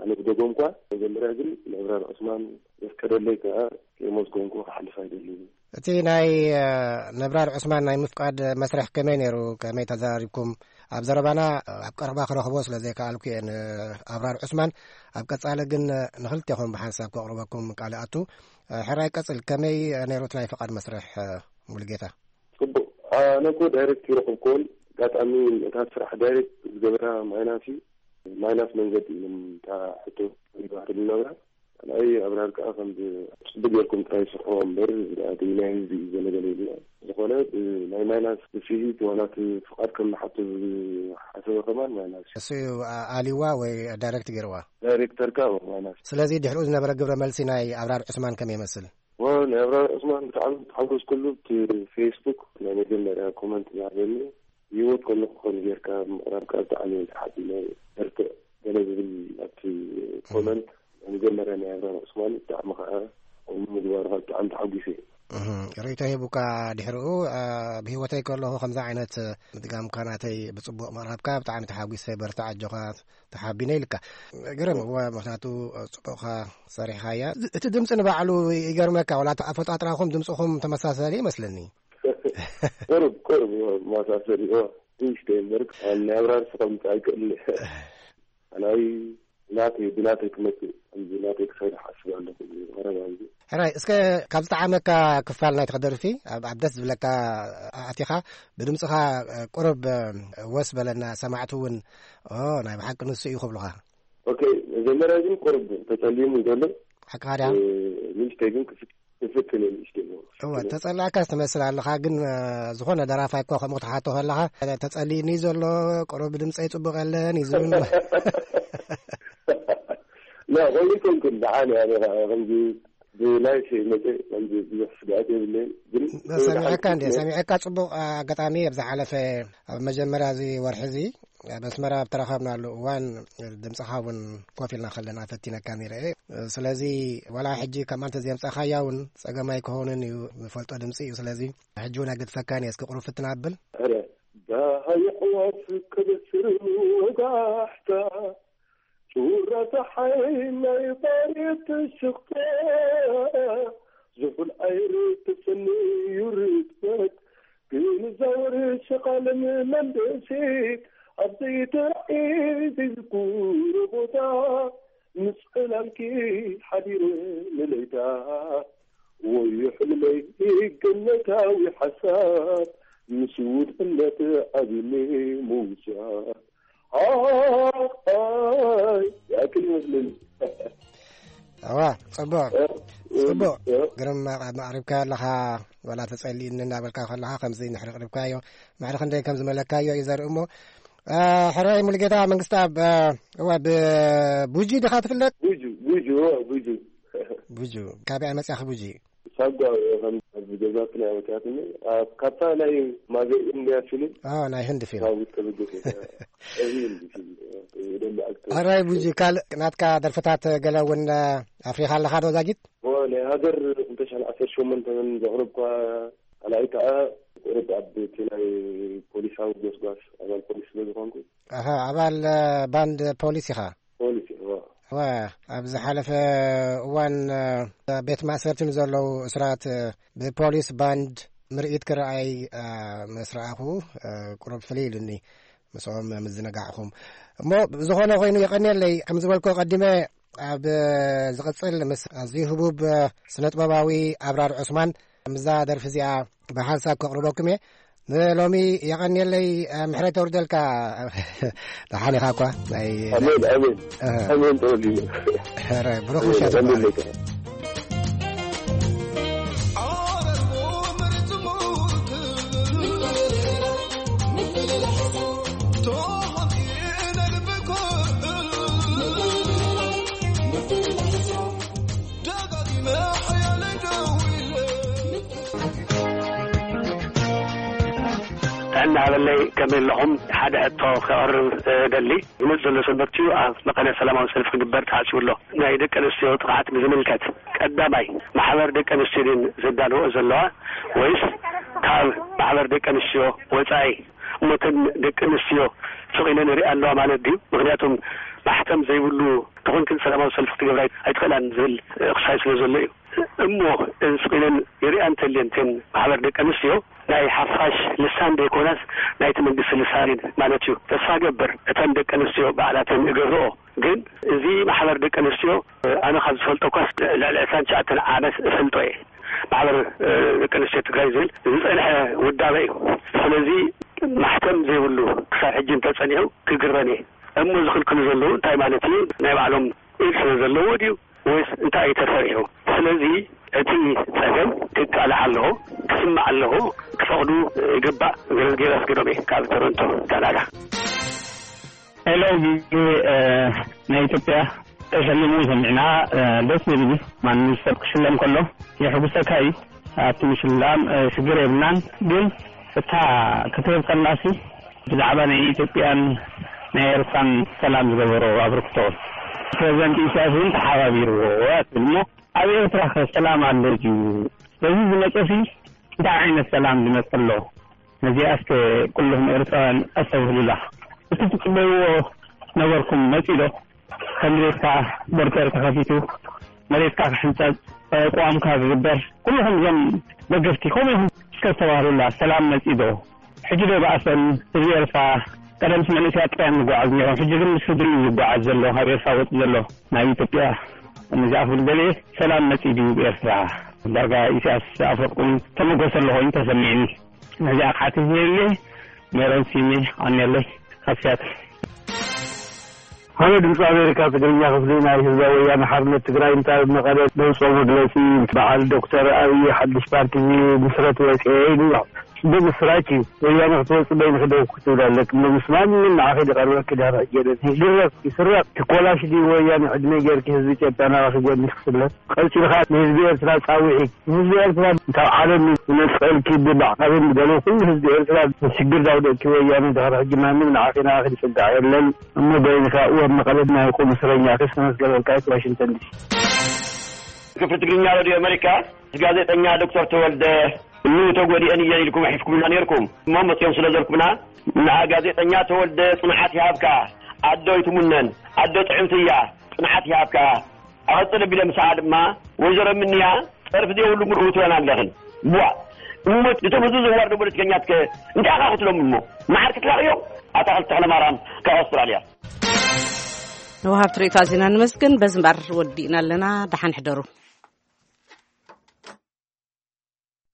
ኣነ ዝደገምኳ። መጀመርያ ግን ንኣብራር ዑስማን ዘፍቀደለይ ከኣ ከየመስገንኩ ክሓልፍ ኣይደልን። እቲ ናይ፣ እ፣ ነብራር ዑስማን ናይ ምፍቃድ መስርሕ ከመይ ነይሩ? ከመይ ተዛሪብኩም? ኣብ ዘረባና፣ እ፣ ኣብ ቀረባ ክረኽቦ ስለ ዘይከኣልኩ እየ ንኣብራር ዑስማን። ኣብ ቀጻሊ ግን፣ እ፣ ንኽልቴኹም ብሓንሳብ ከቕርበኩም ቃል ኣቱ። እ፣ ሕራይ ቀጽል፣ ከመይ ነይሩ እቲ ናይ ፍቓድ መስርሕ፣ እ፣ ሙሉጌታ? ጽቡቕ። ኣነ እኮ ዳይሬክት ይረኸብኩዎን፣ ኣጋጣሚ እታ ስራሕ ዳይሬክት ዝገበራ ማይናስ እዩ። ማይናስ መንገዲ እዮም እታ ሕቶ ይባህር ዝነብራ። ካልኣይ ኣብራር ከኣ ከም ጽቡቅ ጌርኩም ጥራይ ስርሕዎ እምበር፣ እቲ ናይ ህዝቢ እዩ ዘለገለ ኢልና። ዝኾነ፣ ብ-፣ ናይ ማይናስ ብፍሂት ዋላ እቲ ፍቓድ ከም ንሓቶ ዝሓሰበ ከማን ማይናስ እዩ። እሱ እዩ ኣ-፣ ኣልይዋ ወይ ዳይሬክት ገይርዋ? ዳይሬክተር ከኣ ማይናስ። ስለዚ ድሕሪኡ ዝነበረ ግብረ መልሲ ናይ ኣብራር ዑስማን ከመይ ይመስል? ወ-፣ ናይ ኣብራር ዑስማን ብጣዕሚ ተሓጎስኩሉ። እቲ ፌስቡክ ናይ መጀመርያ ኮመንት ዝሃበኒ፣ ብህይወት ከለኹ ከምዚ ጌርካ ምቕራብካ ብጣዕሚ እየ ተሓቢነ። በርትዕ ገለ ዝብል ኣብቲ ኮመንት ናይ መጀመርያ ናይ ኣብራር ዑስማን ብጣዕሚ ከዓ ከምኡ ምግባርካ ብጣዕሚ ተሓጒሰ እየ። እህ፣ ርእይቶ ሂቡካ ድሕሪኡ፣ አ፣ ብህይወተይ ከለኹ ከምዚ ዓይነት ምድጋምካ ናተይ ብጽቡቕ ምቕራብካ ብጣዕሚ ተሓጒሰ፣ በርትዕ ኣጆኻ፣ ተሓቢነ ኢልካ። ግርም፣ እወ፣ ምኽንያቱ ጽቡቕኻ ሰሪሕኻያ። እቲ ድምጺ ንባዕሉ ይገርመካ፣ ዋላ ኣፈጣጥራኹም ድምጽኹም ተመሳሳሊ ይመስለኒ። ቁሩብ፣ ቁሩብ፣ እወ፣ መሳሰሊ፣ እወ፣ ትንሽ ደይ እምበር፣ ናይ ኣብራር ስኸምጽእ ኣይክእልን እየ። ኣናይ ናተይ፣ ብናተይ ክመጽእ፣ ከምዚ ናተይ ክሰርሕ ኣስብ ኣለኹ፣ ቀረባ ግዜ። ሕራይ፣ እስከ ካብ ዝጠዓመካ ክፋል ናይቲ ክደርፊ፣ ኣብ፣ ኣብ ደስ ዝብለካ ኣቲኻ፣ ብድምጽኻ ቁሩብ ወስ በለና፣ ሰማዕቲ እውን፣ ኦ፣ ናይ ብሓቂ ንሱ እዩ ክብሉኻ። ኦኬ፣ መጀመርያ ግን ቁሩብ ተጸሊሙ ዘሎ። ሓቅኻ ድያ? እ፣ ንእሽተይ ግን ክፍት-፣ ክፍትን እየ ንእሽተይ። እወ፣ ተጸላእካስ ትመስል ኣለኻ፣ ግን፣ እ፣ ዝኾነ ደራፋይ እኮ ከምኡ ክትሓቶ ከለኻ፣ ተጸሊእኒ ዘሎ፣ ቁሩብ ድምጸይ ጽቡቕ የለን እዩ ዝብል። ላ፣ ኮይኑ ኣይኮንኩን፣ ደሓን እየ ኣነ ኸዓ ከምዚ ብላይፍ መፀ፣ ከምዚ ብዙሕ ስግኣት የብለይን። ግን ሰሚዐካ እንዴ? ሰሚዐካ ጽቡቕ። ኣጋጣሚ ኣብ ዝሓለፈ፣ ኣብ መጀመርያ እዚ ወርሒ እዚ ኣብ ኣስመራ ኣብ ተራኸብናሉ እዋን፣ ድምጽኻ እውን ኮፍ ኢልና ከለና ፈቲነካ ነይረ እየ። ስለዚ ዋላ ሕጂ ከም ኣንተ ዘምጻኻያ እውን ጸገም ኣይክኾንን እዩ፣ ዝፈልጦ ድምጺ እዩ። ስለዚ ሕጂ እውን ኣይገድፈካን እየ። እስኪ ቁሩብ ፍትና ኣብል። ኧረ፣ ዳሃይ ኣዕዋፍ ከበስር ወጋሕታ፣ ጩራ ጸሓይ ናይ ባርየት ትሽቕተ፣ ዝሑል ኣይሪ ትስንዩ ርጥበት፣ ግን ዛወር ሸቓልን መንደሴት፣ ኣብ ዘይተራእየ ዘይዝኩሮ ቦታ፣ ምስ ዕላልኪ ሓዲረ ንለይታ፣ ወዮ ሕልመይ ገነታዊ ሓሳብ፣ ምስ ውድነት ዓቢኒ ምውሳድ። ኣይ፣ ይኣክል ይመስለኒ። እዋ፣ ጽቡቕ፣ እ፣ ጽቡቕ። እ። ግርም፣ ኣቕሪብካዮ ኣለኻ፣ ዋላ ተጸሊእኒ እናበልካ ከለኻ ከምዚ እንድሕሪ ኣቕሪብካዮ፣ ማዕረ ክንደይ ከም ዝመለካዮ እዩ ዘርኢ እሞ፣ እ፣ ሕራይ ሙሉጌታ መንግስተኣብ፣ እ፣ እዋ፣ ብቡጂ ዲኻ ትፍለጥ? ቡጁ፣ ቡጁ፣ እዋ፣ ቡጁ። ቡጁ፣ ካበይ መጺኣኺ ቡጂ? ሳጓ፣ ከም ኣብ ገዛትና መጺኣትኒ፣ ኣብ ካብታ ናይ ማዘር ኢንድያ ፊልም። ኦ፣ ናይ ህንዲ ፊልም። ካብኡ ተበገሰ። እዚ ህንዲ ፊልም፣ ደንበ ኣክተር። ሕራይ ቡጂ፣ ካልእ ናትካ ደርፍታት ገለ እውን ኣፍሪኻ ኣለኻ ዶ ዛጊት? እዎ፣ ናይ ሃገር ክልተ ሽሕን ዓሰርተ ሸሞንተን ዘቕረብኳ፣ ካልኣይ ከኣ ቁሩብ ኣብ እቲ ናይ ፖሊሳዊ ጎስጓስ ኣባል ፖሊስ ስለ ዝኾንኩ። ኣሃ፣ ኣባል፣ እ፣ ባንድ ፖሊስ ኢኻ? ፖሊስ፣ እዎ። እወ፣ ኣብ ዝሓለፈ እዋን፣ እ፣ ቤት ማእሰርቲ ንዘለዉ እስራት፣ እ፣ ብፖሊስ ባንድ ምርኢት ክረኣይ፣ እ፣ ምስ ረኣኹ፣ እ፣ ቁሩብ ፍልይ ኢሉኒ። ምስኦም ምዝንጋዕኹም። እሞ ብዝኾነ ኮይኑ የቐንየለይ። ከም ዝበልኮ ቀዲመ፣ ኣብ ዝቕጽል ምስ ኣዝዩ ህቡብ ስነጥበባዊ ኣብራር ዑስማን ምስዛ ደርፊ እዚኣ ብሓንሳብ ከቕርበኩም እየ። ንሎሚ የቐንየለይ፣ ምሕረት የውርደልካ። ደሓን ኢኻ እኳ? ናይ ኣሜን፣ ኣሜን። ኣሃ። ኣሜን ተወዲኡ። ኧረ፣ ብሩኽ ኣሜን፣ ምሸት ኣሜን ይባረክ። ለካ። ጥዕና ሃበለይ፣ ከመይ ኣለኹም? ሓደ ሕቶ ከቕርብ እደሊ። ዝመጽእ ዘሎ ሰንበት እዩ ኣብ መቐለ ሰላማዊ ሰልፊ ክግበር ተሓሲቡ ኣሎ። ናይ ደቂ ኣንስትዮ ጥቕዓት ብዝምልከት፣ ቀዳማይ፣ ማሕበር ደቂ ኣንስትዮ ድየን ዘዳልወኦ ዘለዋ፣ ወይስ ካብ ማሕበር ደቂ ኣንስትዮ ወጻኢ? እሞ እተን ደቂ ኣንስትዮ ስቕ ኢለን ይሪኣ ኣለዋ ማለት ድዩ? ምኽንያቱም ማሕተም ዘይብሉ ተኾንክን ሰላማዊ ሰልፊ ክትገብራ ኣይትኽእላን ዝብል ክሳይ ስለ ዘሎ እዩ። እሞ ስቕ ኢለን ይሪኣ እንተልየን እተን ማሕበር ደቂ ኣንስትዮ፣ ናይ ሓፋሽ ልሳን ዘይኮናስ ናይቲ መንግስቲ ልሳን እየን ማለት እዩ። ተስፋ ገብር እተን ደቂ ኣንስትዮ ባዕላተን ይገብርኦ። ግን እዚ ማሕበር ደቂ ኣንስትዮ፣ ኣነ ካብ ዝፈልጦ እኳስ ልዕሊ ዕስራን ትሽዓተን ዓመት እፈልጦ እየ። ማሕበር፣ እ፣ ደቂ ኣንስትዮ ትግራይ ዝብል ዝጸንሐ ውዳበ እዩ። ስለዚ ማሕተም ዘይብሉ ክሳብ ሕጂ እንተጸኒሑ ክግረም እየ። እሞ ዝኽልክሉ ዘለዉ እንታይ ማለት እዩ? ናይ ባዕሎም ኢድ ስለ ዘለዎ ድዩ? ወይስ እንታይ እዩ ተሰሪሑ? ስለዚ እቲ ጸገም ክቃላዕ ኣለዎ፣ ክስማዕ ኣለዎ፣ ክፈቕዱ ይግባእ። ገረዝጌር ኣስገዶም እየ ካብ ቶሮንቶ ካናዳ። ሄሎ፣ ቪኦኤ፣ እ፣ ናይ ኢትዮጵያ ተሸሊሙ ሰሚዕና፣ እ፣ ደስ ዝብል እዩ። ማንም ሰብ ክሽለም ከሎ የሕጉሰካ እዩ። ኣብቲ ምሽላም፣ እ፣ ሽግር የብልናን። ግን እታ ክትህብ ከላሲ ብዛዕባ ናይ ኢትዮጵያን ናይ ኤርትራን ሰላም ዝገበሮ ኣበርክቶ ፕሬዚደንት ኢሳያስ እውን ተሓባቢርዎ እያ ትብል እሞ፣ ኣብ ኤርትራ ከ ሰላም ኣሎ ድዩ? በዚ ዝመጸሲ እንታይ ዓይነት ሰላም ዝመጽእ ኣሎ? ነዚኣ እስከ ኩልኹም ኤርትራውያን ኣስተብህሉላ። እቲ ትጽበይዎ ነበርኩም መጺእ ዶ? ከም ቤትካ ቦርደር ተኸፊቱ፣ መሬትካ ክሕንጸጽ፣ ቅዋምካ ክግበር፣ ኩልኹም እዞም ደገፍቲ ከምኡ ኢኹም እስከ ኣስተባህሉላ። ሰላም መጺእ ዶ? ሕጂ ዶ ይበኣሰን ህዝቢ ኤርትራ? ቀደምስ መንእሰያት ጥራይ እዮም ዝጓዓዙ ነይሮም። ሕጂ ግን ምስ ስድሪኡ እዩ ዝጓዓዝ ዘሎ፣ ካብ ኤርትራ ወጺኡ ዘሎ ናብ ኢትዮጵያ። ነዚኣ ክብል ደልየ፣ ሰላም መጺእ ድዩ ብኤርትራ? ዳርጋ ኢሳያስ ኣፈወርቂ እውን ተመጎሰ ኣሎ ኮይኑ ተሰሚዕኒ። ነዚኣ ክሓትት ደልየ፣ ሜሮን ሲሜ፣ ኣኔለይ፣ ካብ ሲያትል። ሃሎ፣ ድምፂ ኣሜሪካ ትግርኛ ክፍሊ ናይ ህዝባዊ ወያነ ሓርነት ትግራይ፣ እንታይ ኣብ መቐለ ዘውፅኦ መግለፂ፣ በዓል ዶክተር ኣብይ ሓድሽ ፓርቲ ምስረት ወፅኤ ኢሉ ኣሎ። ብምስራች እዩ። ወያነ ክትወጽእ በይንኺ ደው ክትብል ኣለኪ። እሞ ምስ ማንም ንዓኺ ዝቐርበኪ ድሕሪ ሕጂ የለን። ይድረፍ፣ ይስረቕ፣ ትኮላሽ ድዩ ወያነ ዕድመ ጌርኪ ህዝቢ ኢትዮጵያ ናባኺ ጎኒ ክስለፍ? ቀጺልኻ ንህዝቢ ኤርትራ ጻውዒ። ንህዝቢ ኤርትራ ካብ ዓለም ዝነጸልኪ ብማዕቐብን ብገለ ኩሉ ህዝቢ ኤርትራ ሽግር ዳውደቅኪ ወያነ ድሕሪ ሕጂ ማንም ንዓኺ ናባኺ ዝጽጋዕ የለን። እሞ በይንኻ እወ መቐለ ናይ ቁም እስረኛ ክስ ተመስገበልካ ዋሽንግተን ዲሲ። ክፍሊ ትግርኛ ሬድዮ ኣሜሪካ ጋዜጠኛ ዶክተር ተወልደ እኑ ተጎዲአን እየን ኢልኩም ኣሒፍኩምና ነይርኩም። እሞ መፅኦም ስለ ዘልኩምና ንዓ ጋዜጠኛ ተወልደ ፅንዓት ይሃብካ። ኣዶ ይትሙነን፣ ኣዶ ጥዕምቲ እያ፣ ፅንዓት ይሃብካ። ኣቐፅል ኣቢለ ምሳኣ ድማ ወይዘሮ ምንያ ፀርፊ ዘይብሉ ምርኡ ትበና ኣለኽን። ቧ እሞ እቶም ህዝቢ ዘዋርዶ ፖለቲከኛትከ እንታይ ኣኻ ክትሎም እሞ መዓር ክትላኽዮም? ኣታ ክልተ ተኽለ ማርያም ካብ ኣውስትራልያ። ንወሃብቲ ርእይቶ ኣዚና ንመስግን። በዚ እምበር ወዲእና ኣለና። ደሓን ሕደሩ።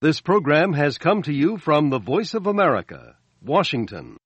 This program has come to you from the Voice of America, Washington.